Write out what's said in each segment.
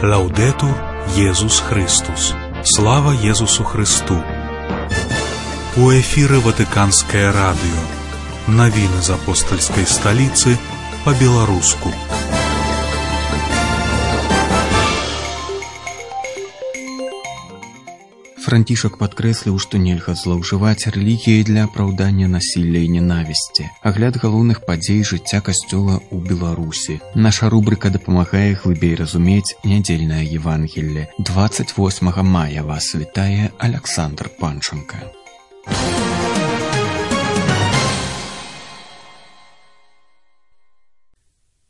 Лаудетур Єсус Христос. Слава Єсусу Христу. У эфире Ватиканское радио. Новины из апостольской столицы по-белорусски. Францішак падкрэсліў, што нельга злоўжываць рэлігіяй для апраўдання насілля і ненавісці. Агляд галоўных падзей жыцця касцёла ў Беларусі. Наша рубрыка дапамагае глыбей разумець нядзельнае Евангелле. 28 мая вас вітае Александр Панченко.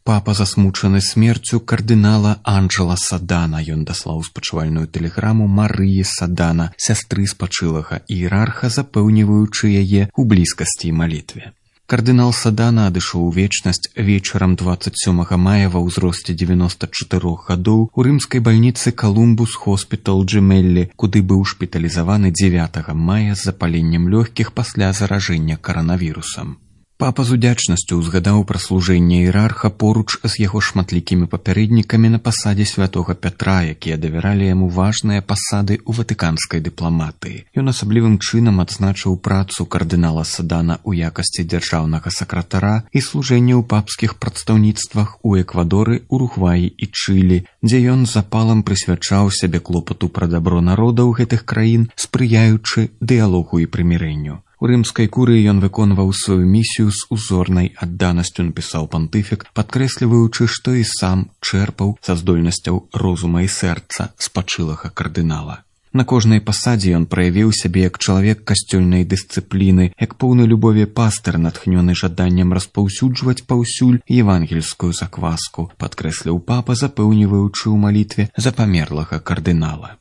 Папа засмучаны смерцю кардынала Анджела Садана. Ён даслаў спачувальную тэлеграму Марыі Садана, сястры спачылага іерарха, запэўніваючы яе ў блізкасці і малітве. Кардынал Садана адышоў у вечнасць вечарам 27 мая ва ўзросце 94 гадоў у рымскай бальніцы Колумбус Хоспітал Джемеллі, куды быў шпіталізаваны 9 мая з запаленнем лёгкіх пасля заражэння каранавірусам. Папа з удзячнасцю ўзгадаў пра служэнне іерарха поруч з яго шматлікімі папярэднікамі на пасадзе святога Пятра, якія давяралі яму важныя пасады ў ватыканскай дыпламатыі. Ён асаблівым чынам адзначыў працу кардынала Садана ў якасці дзяржаўнага сакратара і служэнне ў папскіх прадстаўніцтвах у Эквадоры, Уругваі і Чылі, дзе ён з запалам прысвячаў сябе клопату пра дабро народаў гэтых краін, спрыяючы дыялогу і прымірэнню. У рымскай курыі ён выконваў сваю місію з узорнай адданасцю, напісаў пантыфік, падкрэсліваючы, што і сам чэрпаў са здольнасцяў розума і сэрца спачылага кардынала. На кожнай пасадзе ён праявіў сябе як чалавек касцёльнай дысцыпліны, як поўны любові пастыр, натхнёны жаданнем распаўсюджваць паўсюль евангельскую закваску, падкрэсліў папа, запэўніваючы ў малітве за памерлага кардынала.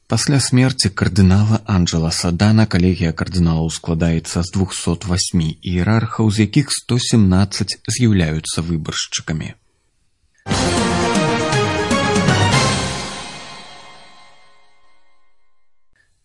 Пасля смерці кардынала Анджела Садана калегія кардыналаў складаецца з 208 іерархаў, з якіх 117 з'яўляюцца выбаршчыкамі.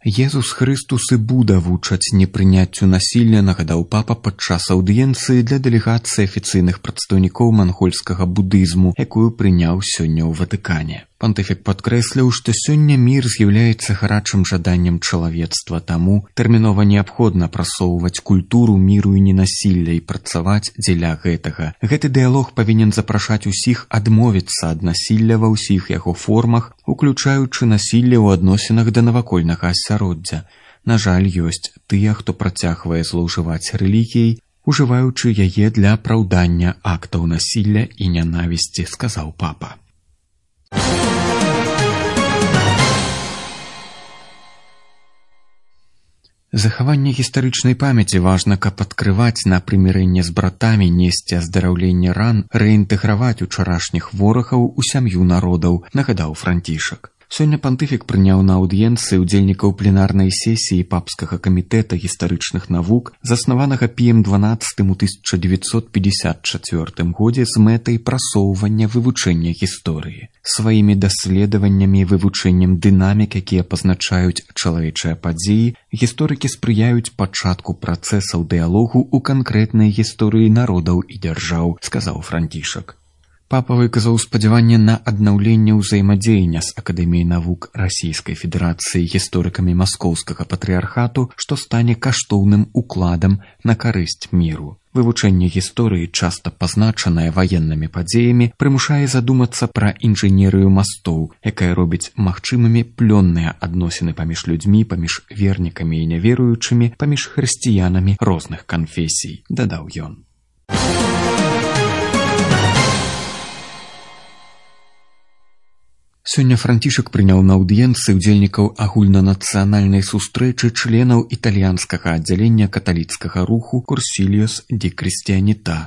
Єсус Христус і Буда вучаць непрыняццю насілля, нагадаў папа падчас аўдыенцыі для дэлегацыі афіцыйных прадстаўнікоў мангольскага будызму, якую прыняў сёння ў Ватыкане. Пантыфік падкрэсліў, што сёння мір з'яўляецца гарачым жаданнем чалавецтва, таму тэрмінова неабходна прасоўваць культуру міру і ненасілля і працаваць дзеля гэтага. Гэты дыялог павінен запрашаць усіх адмовіцца ад насілля ва ўсіх яго формах, уключаючы насілле ў адносінах да навакольнага асяроддзя. На жаль, ёсць тыя, хто працягвае злоўжываць рэлігіяй, ужываючы яе для апраўдання актаў насілля і нянавісці, сказаў папа. Захаванне гістарычнай памяці важна, каб адкрываць на прымірэнне з братамі, несці аздараўленне ран, рэінтэграваць учарашніх ворагаў у сям'ю народаў, нагадаў Францішак. Сёння пантыфік прыняў на аўдыенцыі ўдзельнікаў пленарнай сесіі папскага камітэта гістарычных навук, заснаванага Піем XII у 1954 годзе з мэтай прасоўвання вывучэння гісторыі. Сваімі даследаваннямі і вывучэннем дынамік, якія пазначаюць чалавечыя падзеі, гісторыкі спрыяюць пачатку працэсаў дыялогу ў канкрэтнай гісторыі народаў і дзяржаў, сказаў Францішак. Папа выказаў спадзяванне на аднаўленне ўзаемадзеяння з Акадэміяй навук Расійскай Федэрацыі гісторыкамі маскоўскага патрыярхату, што стане каштоўным укладам на карысць міру. Вывучэнне гісторыі, часта пазначанае ваеннымі падзеямі, прымушае задумацца пра інжынерыю мастоў, якая робіць магчымымі плённыя адносіны паміж людзьмі, паміж вернікамі і няверуючымі, паміж хрысціянамі розных канфесій, дадаў ён. Сёння Францішак прыняў на аўдыенцыі ўдзельнікаў агульнанацыянальнай сустрэчы членаў італьянскага аддзялення каталіцкага руху Курсіліос ді Крыстіяніта,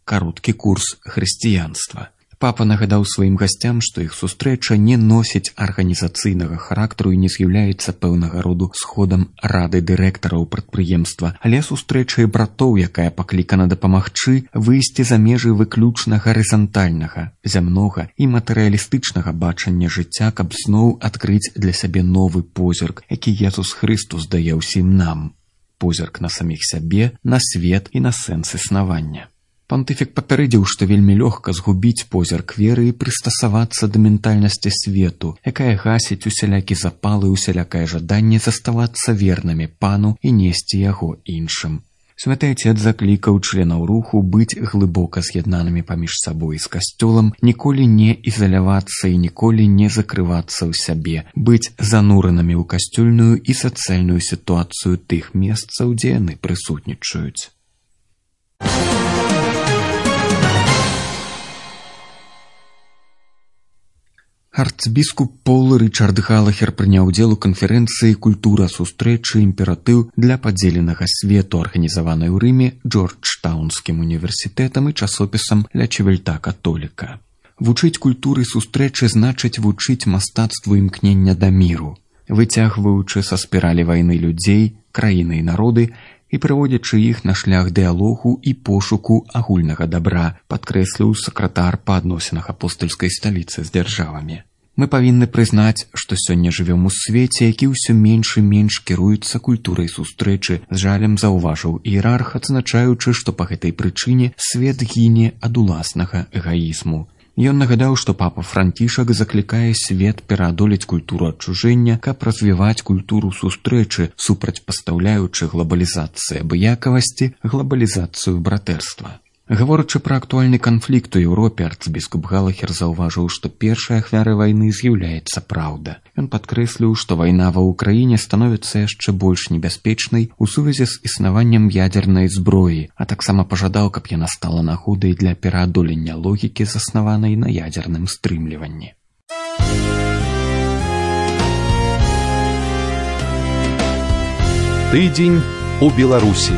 кароткі курс хрысціянства. Папа нагадаў сваім гасцям, што іх сустрэча не носіць арганізацыйнага характару і не з'яўляецца пэўнага роду сходам рады дырэктараў прадпрыемства, але сустрэчай братоў, якая паклікана дапамагчы выйсці за межы выключна гарызантальнага, зямнога і матэрыялістычнага бачання жыцця, каб зноў адкрыць для сябе новы позірк, які Єсус Христус дае ўсім нам. Позірк на саміх сябе, на свет і на сэнс існавання. Пантыфік папярэдзіў, што вельмі лёгка згубіць позірк веры і прыстасавацца да ментальнасці свету, якая гасіць усялякі запалы і усялякае жаданне заставацца вернымі пану і несці яго іншым. Святы Отец заклікаў членаў руху быць глыбока з'яднанымі паміж сабой з касцёлам, ніколі не ізалявацца і ніколі не закрывацца ў сябе, быць зануранымі ў касцёльную і сацыяльную сітуацыю тых месцаў, дзе яны прысутнічаюць. Арцбіскуп Пол Рычард Галахер прыняў удзел у канферэнцыі «Культура сустрэчы. Імператыў для падзеленага свету», арганізаванай у Рыме Джорджтаунскім універсітэтам і часопісам «Ля Чивельта Католіка». Вучыць культуры сустрэчы значыць вучыць мастацтву імкнення да міру, выцягваючы са спіралі вайны людзей, краіны і народы і прыводзячы іх на шлях дыялогу і пошуку агульнага дабра, падкрэсліў сакратар па адносінах апостальскай сталіцы з дзяржавамі. Мы павінны прызнаць, што сёння жывём у свеце, які ўсё менш і менш кіруецца культурай сустрэчы, з жалем заўважыў іерарх, адзначаючы, што па гэтай прычыне свет гіне ад уласнага эгаізму. Ён нагадаў, што папа Францішак заклікае свет пераадолець культуру адчужэння, каб развіваць культуру сустрэчы, супрацьпастаўляючы глабалізацыі абыякавасці глабалізацыю братэрства. Гаворачы пра актуальны канфлікт у Еўропе, арцбіскуп Галахер заўважыў, што першай ахвярай вайны з'яўляецца праўда. Ён падкрэсліў, што вайна ва ўкраіне становіцца яшчэ больш небяспечнай у сувязі з існаваннем ядзернай зброі, а таксама пажадаў, каб яна стала нагодай для пераадолення логікі, заснаванай на ядзерным стрымліванні. Тыдзень у Беларусі.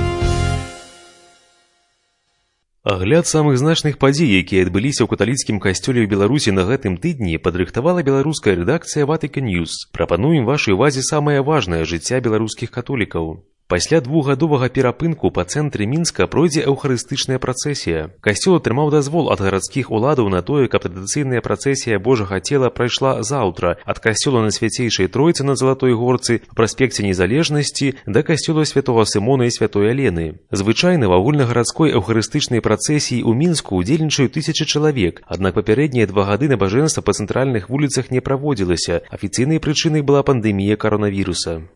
Агляд самых значных падзей, якія адбыліся ў каталіцкім касцёле ў Беларусі на гэтым тыдні, падрыхтавала беларуская рэдакцыя Vatican News. Прапануем вашай увазе самае важнае жыцця беларускіх католікаў. Пасля двухгадовага перапынку па цэнтры Мінска пройдзе эўхарыстычная працэсія. Касцёл атрымаў дазвол ад гарадскіх уладаў на тое, каб традыцыйная працэсія Божага цела прайшла заўтра ад касцёла на Свяцейшай Тройцы на Залатой горцы па праспекце Незалежнасці да касцёла святога Сымона і святой Алены. Звычайна ва агульнагарадской эўхарыстычнай працэсіі ў Мінску удзельнічаюць 1000 чалавек, аднак папярэднія 2 гады набажэнства па цэнтральных вуліцах не праводзілася. Афіцыйнай прычынай была пандэмія каронавіруса.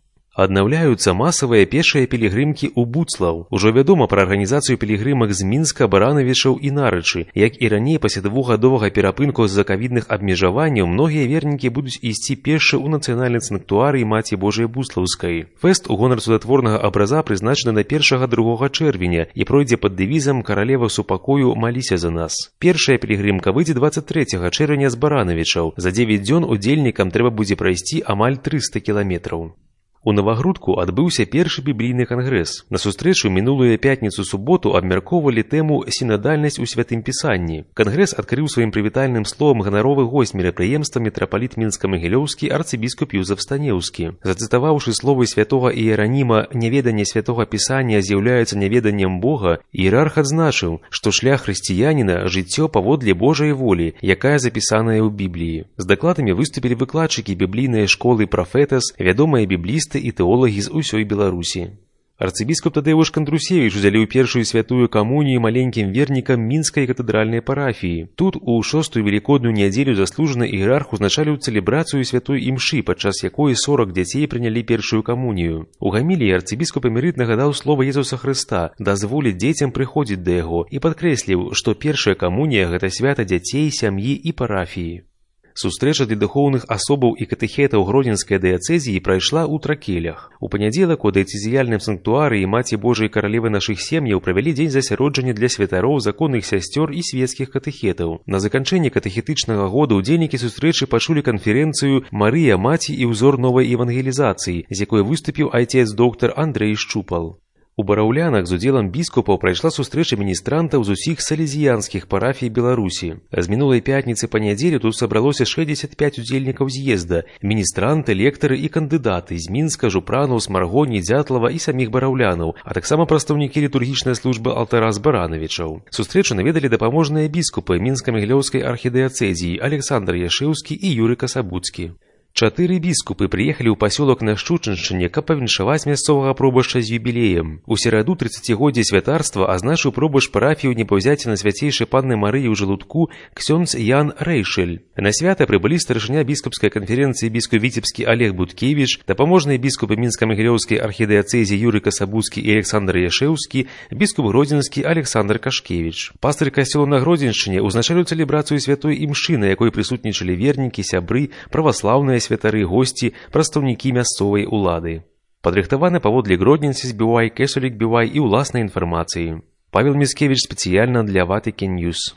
Аднаўляюцца масавыя пешыя пілігрымкі ў Буцлаў. Ужо вядома пра арганізацыю пілігрымак з Мінска, Баранавічаў і Нарычы. Як і раней, пасля 2гадовага перапынку з-за ковідных абмежаванняў, многія вернікі будуць ісці пешша ў нацыянальны санктуарый Маці Божай Буслаўскай. Фэст у гонар цудатворнага абраза прызначаны на 1-2 чэрвеня і пройдзе пад дэвізам «Каралева супакою, маліся за нас». Першая пілігрымка выйдзе 23 чэрвеня з Баранавічаў. За 9 дзён удзельнікам трэба будзе прайсці амаль 300 кіламетраў. У Навагрудку адбыўся першы біблійны кангрэс. На сустрэчу мінулую пятніцу-суботу абмяркоўвалі тэму «Сінадальнасць у святым пісанні». Кангрэс адкрыў сваім прывітальным словам ганаровы госць мерапрыемства мітрапаліт Мінска-Магілёўскі арцыбіскуп Юзеф Станеўскі. Зацытаваўшы словы святога Іераніма «Няведанне святога пісання з'яўляецца няведаннем Бога», іерарх адзначыў, што шлях хрысціяніна – жыццё паводле Божай волі, якая запісаная ў Бібліі. З дакладамі выступілі выкладчыкі біблійнай школы «Прафетас», вядомыя біблісты і тэолагі з усёй Беларусі. Арцыбіскуп Тадеуш Кандрусевіч удзяліў першую святую камунію маленькім вернікам Мінскай катэдральнай парафіі. Тут у 6-ю велікодную нядзелю заслужаны іерарх узначаліў цэлебрацыю святой імшы, падчас якой 40 дзяцей прынялі першую камунію. У гаміліі арцыбіскуп эмерыт нагадаў слова Езуса Хрыста, дазволіць дзецям прыходзіць да яго, і падкрэсліў, што першая камунія – гэта свята дзяцей, сям'і і парафіі. Сустрэча для духоўных асобаў і катэхетаў Гродзенскай дыяцэзіі прайшла ў Тракелях. У панядзелак у дыяцэзіяльным санктуарыі Маці Божай Каралевы нашых сем'яў правялі дзень засяроджання для святароў, законных сясцёр і свецкіх катэхетаў. На заканчэнні катэхетычнага года удзельнікі сустрэчы пачулі канферэнцыю «Марыя, маці і ўзор новай евангелізацыі», з якой выступіў айцец доктар Андрэй Шчупал. У Бараўлянах з удзелам біскупаў прайшла сустрэча міністрантаў з усіх салезіянскіх парафій Беларусі. З мінулай пятніцы па нядзелю тут сабралося 65 удзельнікаў з'езда, міністранты, лектары і кандыдаты з Мінска, Жупранаў, Смаргоні, Дзятлава і саміх бараўлянаў, а таксама прадстаўнікі літургічнай службы алтара з Баранавічаў. Сустрэчу наведалі дапаможныя біскупы Мінска-Магілёўскай архідыяцэзіі Александр Яшэўскі і Юрый Касабуцкі. 4 біскупы прыехалі ў пасёлак на Шчучыншчыне, каб павіншаваць мясцовага пробашча з юбілеем. У сераду 30-годдзя святарства азначыў пробашч парафію Непаўзяцця на свяцейшай панны Марыі ў Жалудку ксёндз Ян Рэйшэль. На свята прыбылі старшыня біскупскай канферэнцыі біскуп Віцебскі Олег Будкевіч, дапаможныя біскупы Мінска-Магілёўскай архідыяцэзі Юрый Касабуцкі і Александр Яшэўскі, біскуп Гродзенскі Александр Кашкевіч. Пастыр касцёла на Гродзеншчыне ўзначаліў цэлебрацыю святой імшы, на якой прысутнічалі вернікі, сябры, праваслаўныя святары, госці, прадстаўнікі мясцовай улады. Падрыхтаваны паводле Гродненсіс Бівай, Кесулік Бівай і ўласнай інфармацыі. Павел Міцкевіч спецыяльна для Vatican News.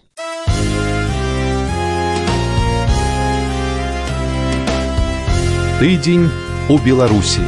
Тыдзень у Беларусі.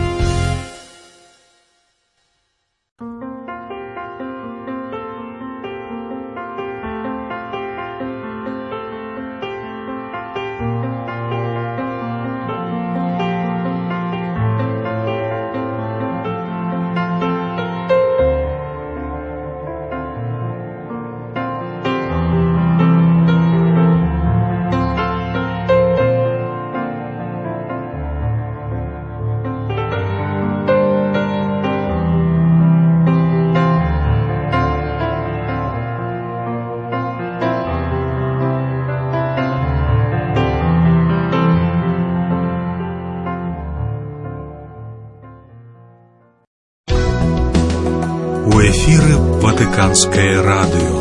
У эфіры Ватыканскае радыё.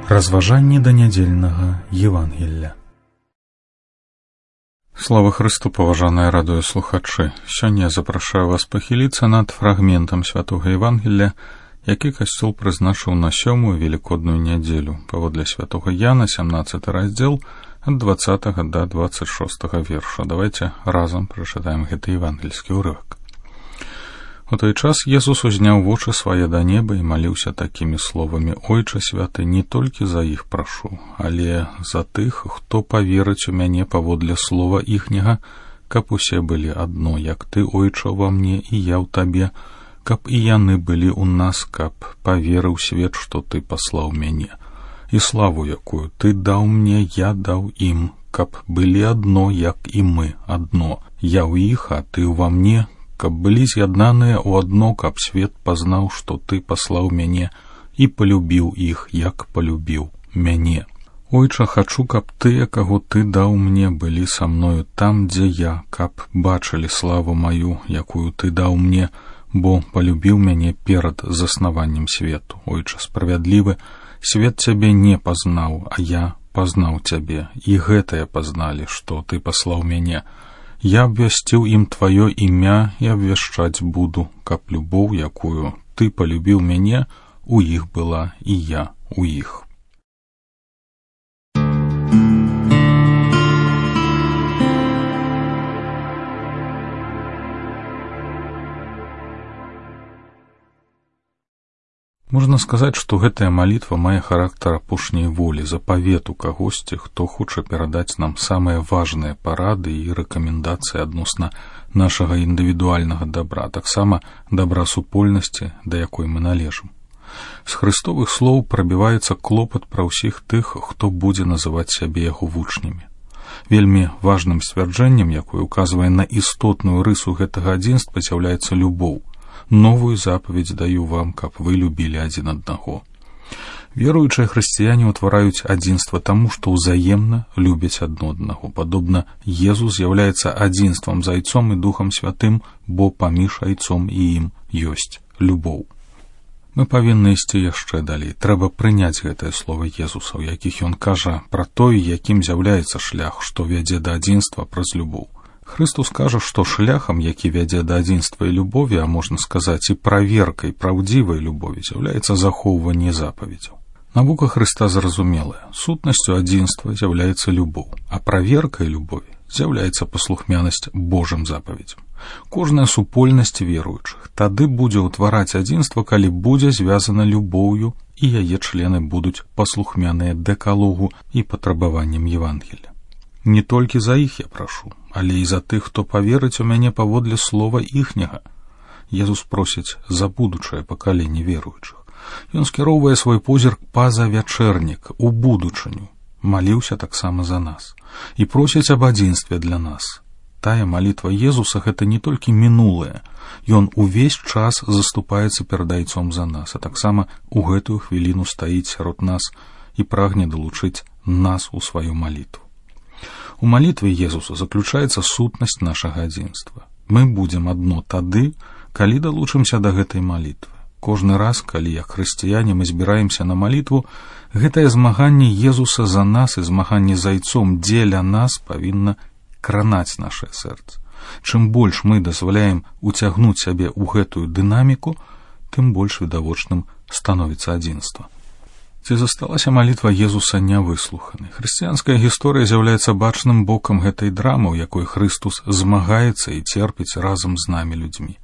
Разважанні да нядзельнага Евангелля. Слава Христу, паважаныя радыёслухачы! Сёння я запрашаю вас пахіліцца над фрагментам святога Евангелля, які касцёл прызначыў на 7-ю велікодную нядзелю, паводле святога Яна, 17 раздзел, ад 20 до 26 верша. Давайте разам прачытаем гэты евангельскі ўрывак. У той час Езус узняў вочы свае да неба і маліўся такімі словамі: «Ойча святы, не толькі за іх прашу, але за тых, хто паверыць у мяне паводле слова іхняга, каб усе былі адно, як ты, Ойча, ва мне і я ў табе, каб і яны былі ў нас, каб паверыў свет, што ты паслаў мяне. І славу, якую ты даў мне, я даў ім, каб былі адно, як і мы адно. Я ў іх, а ты ўва мне, каб былі з'яднаныя ў адно, каб свет пазнаў, што ты паслаў мяне і палюбіў іх, як палюбіў мяне. Ойча, хачу, каб тыя, каго ты даў мне, былі са мною там, дзе я, каб бачылі славу маю, якую ты даў мне, бо палюбіў мяне перад заснаваннем свету. Ойча справядлівы, свет цябе не пазнаў, а я пазнаў цябе, і гэтае пазналі, што ты паслаў мяне. Я абвясціў ім тваё імя і абвяшчаць буду, каб любоў, якую ты палюбіў мяне, у іх была і я у іх». Можна сказаць, што гэтая малітва мае характар апошняй волі, запавету кагосьці, хто хоча перадаць нам самыя важныя парады і рэкамендацыі адносна нашага індывідуальнага дабра, таксама дабра супольнасці, да якой мы належым. З хрыстовых слоў прабіваецца клопат пра ўсіх тых, хто будзе называць сябе яго вучнямі. Вельмі важным сцвярджэннем, якое указвае на істотную рысу гэтага адзінства, з'яўляецца любоў. Новую запаведь даю вам, каб вы любілі адзін аднаго. Веруючыя хрысціяне ўтвараюць адзінства таму, што ўзаемна любяць адно аднаго. Падобна, Езус з'яўляецца адзінствам з Айцом і Духам Святым, бо паміж Айцом і ім ёсць любоў. Мы павінны ісці яшчэ далей. Трэба прыняць гэтае слова Езуса, у якіх ён кажа пра той, якім з'яўляецца шлях, што вядзе да адзінства праз любоў. Христус кажа, што шляхам, які вядзе да адзінства і любові, а можна сказаць і праверкай праўдзівай любові, з'яўляецца захоўванне запаведзяў. Навука Хрыста зразумелая. Сутнасцю адзінства з'яўляецца любоў, а праверкай любові з'яўляецца паслухмянасць Божым запаведзям. Кожная супольнасць веруючых тады будзе ўтвараць адзінства, калі будзе звязана любоўю, і яе члены будуць паслухмяныя дэкалогу і патрабаванням Евангелля. Не толькі за іх я прашу, але і за тых, хто паверыць у мяне паводле слова іхняга. Езус просіць за будучае пакаленне веруючых. Ён скіроўвае свой позірк па-за вячэрнік, у будучыню. Маліўся таксама за нас і просіць аб адзінстве для нас. Тая малітва Езуса — гэта не толькі мінулае, ён увесь час заступаецца перад Айцом за нас, а таксама у гэтую хвіліну стаіць сярод нас і прагне далучыць нас у сваю малітву. У малітве Езуса заключаецца сутнасць нашага адзінства. Мы будзем адно тады, калі далучымся да гэтай малітвы. Кожны раз, калі як хрысціяне мы збіраемся на малітву, гэтае змаганне Езуса за нас і змаганне з Айцом дзеля нас павінна кранаць нашае сэрца. Чым больш мы дазваляем уцягнуць сябе ў гэтую дынаміку, тым больш відавочным становіцца адзінства. Ці засталася малітва Езуса нявыслуханай? Хрысціянская гісторыя з'яўляецца бачным бокам гэтай драмы, у якой Хрыстус змагаецца і церпіць разам з намі людзьмі.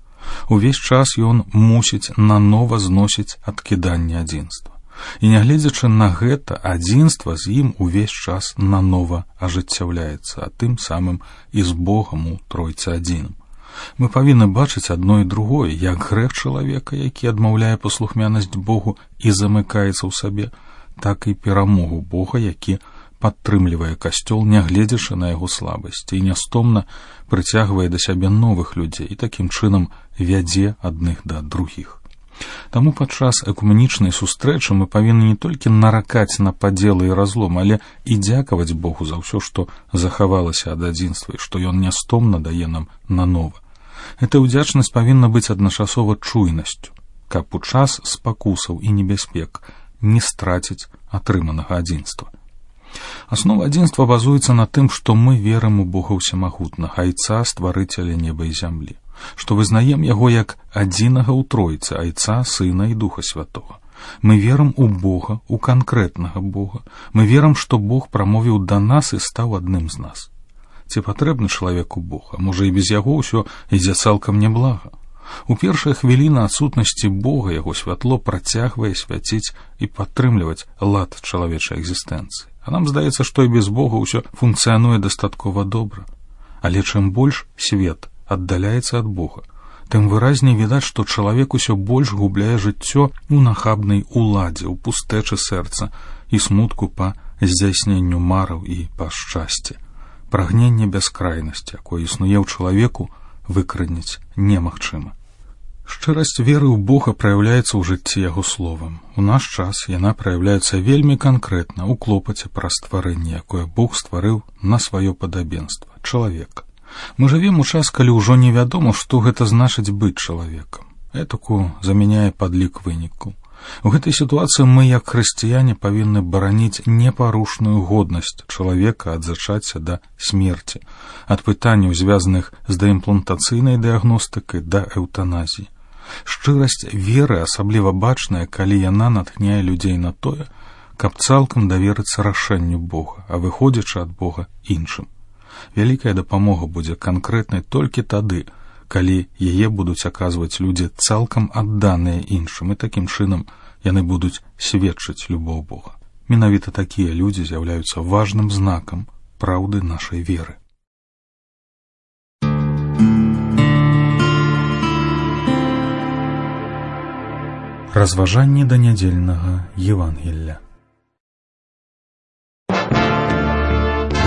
Увесь час ён мусіць нанова зносіць адкіданне адзінства. І нягледзячы на гэта, адзінства з ім увесь час нанова ажыццяўляецца, а тым самым і з Богам у Тройцы адзіным. Мы павінны бачыць адно і другое, як грэх чалавека, які адмаўляе паслухмянасць Богу і замыкаецца ў сабе, так і перамогу Бога, які падтрымлівае касцёл, нягледзячы на яго слабасці, і нястомна прыцягвае да сябе новых людзей і такім чынам вядзе адных да другіх. Таму падчас экуменічнай сустрэчы мы павінны не толькі наракаць на падзелы і разлом, але і дзякаваць Богу за ўсё, што захавалася ад адзінства і што ён нястомна дае нам нанова. Эта ўдзячнасць павінна быць адначасова чуйнасцю, каб у час спакусаў і небяспек не страціць атрыманага адзінства. Аснова адзінства базуецца на тым, што мы верым у Бога ўсемагутнага, Айца, стварыцеля неба і зямлі, што вызнаем яго як адзінага ў Тройцы, Айца, Сына і Духа Святога. Мы верым у Бога, у канкрэтнага Бога. Мы верым, што Бог прамовіў да нас і стаў адным з нас. Ці патрэбны чалавеку Бог, а можа і без яго ўсё ідзе цалкам няблага. У першыя хвіліны адсутнасці Бога яго святло працягвае свяціць і падтрымліваць лад чалавечай экзістэнцыі. А нам здаецца, што і без Бога ўсё функцыянуе дастаткова добра. Але чым больш свет аддаляецца ад Бога, тым выразней відаць, што чалавек усё больш губляе жыццё у нахабнай уладзе, у пустэчы сэрца і смутку па здзяйсненню мараў і па шчасці. Прагненне бяскрайнасці, якое існуе ў чалавеку, выкранець немагчыма. Шчырасць веры ў Бога праяўляецца ў жыцці яго словам. У наш час яна праяўляецца вельмі канкрэтна ў клопаце пра стварэнне, якое Бог стварыў на сваё падабенства — чалавека. Мы жывем у час, калі ўжо невядома, што гэта значыць быць чалавекам. Этаку замяняе падлік вынікаў. У гэтай сітуацыі мы, як хрысціяне, павінны бараніць непарушную годнасць чалавека ад зачацця да смерці, ад пытанняў, звязаных з даімплантацыйнай дыягностыкай да эўтаназіі. Шчырасць веры асабліва бачная, калі яна натхняе людзей на тое, каб цалкам даверыцца рашэнню Бога, а выходзячы ад Бога іншым. Вялікая дапамога будзе канкрэтнай толькі тады, калі яе будуць аказваць людзі цалкам адданыя іншым, і такім чынам яны будуць сведчыць любоў Бога. Менавіта такія людзі з'яўляюцца важным знакам праўды нашай веры. Разважанні да нядзельнага Евангелля.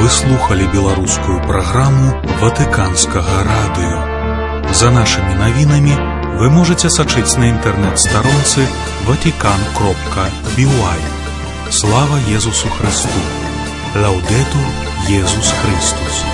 Вы слухали беларускую праграму Ватыканскага радыё. За нашими навінамі вы можете сачыць на інтэрнэт-старонцы vatican.by. Слава Езусу Христу! Лаўдэтур Езус Христус!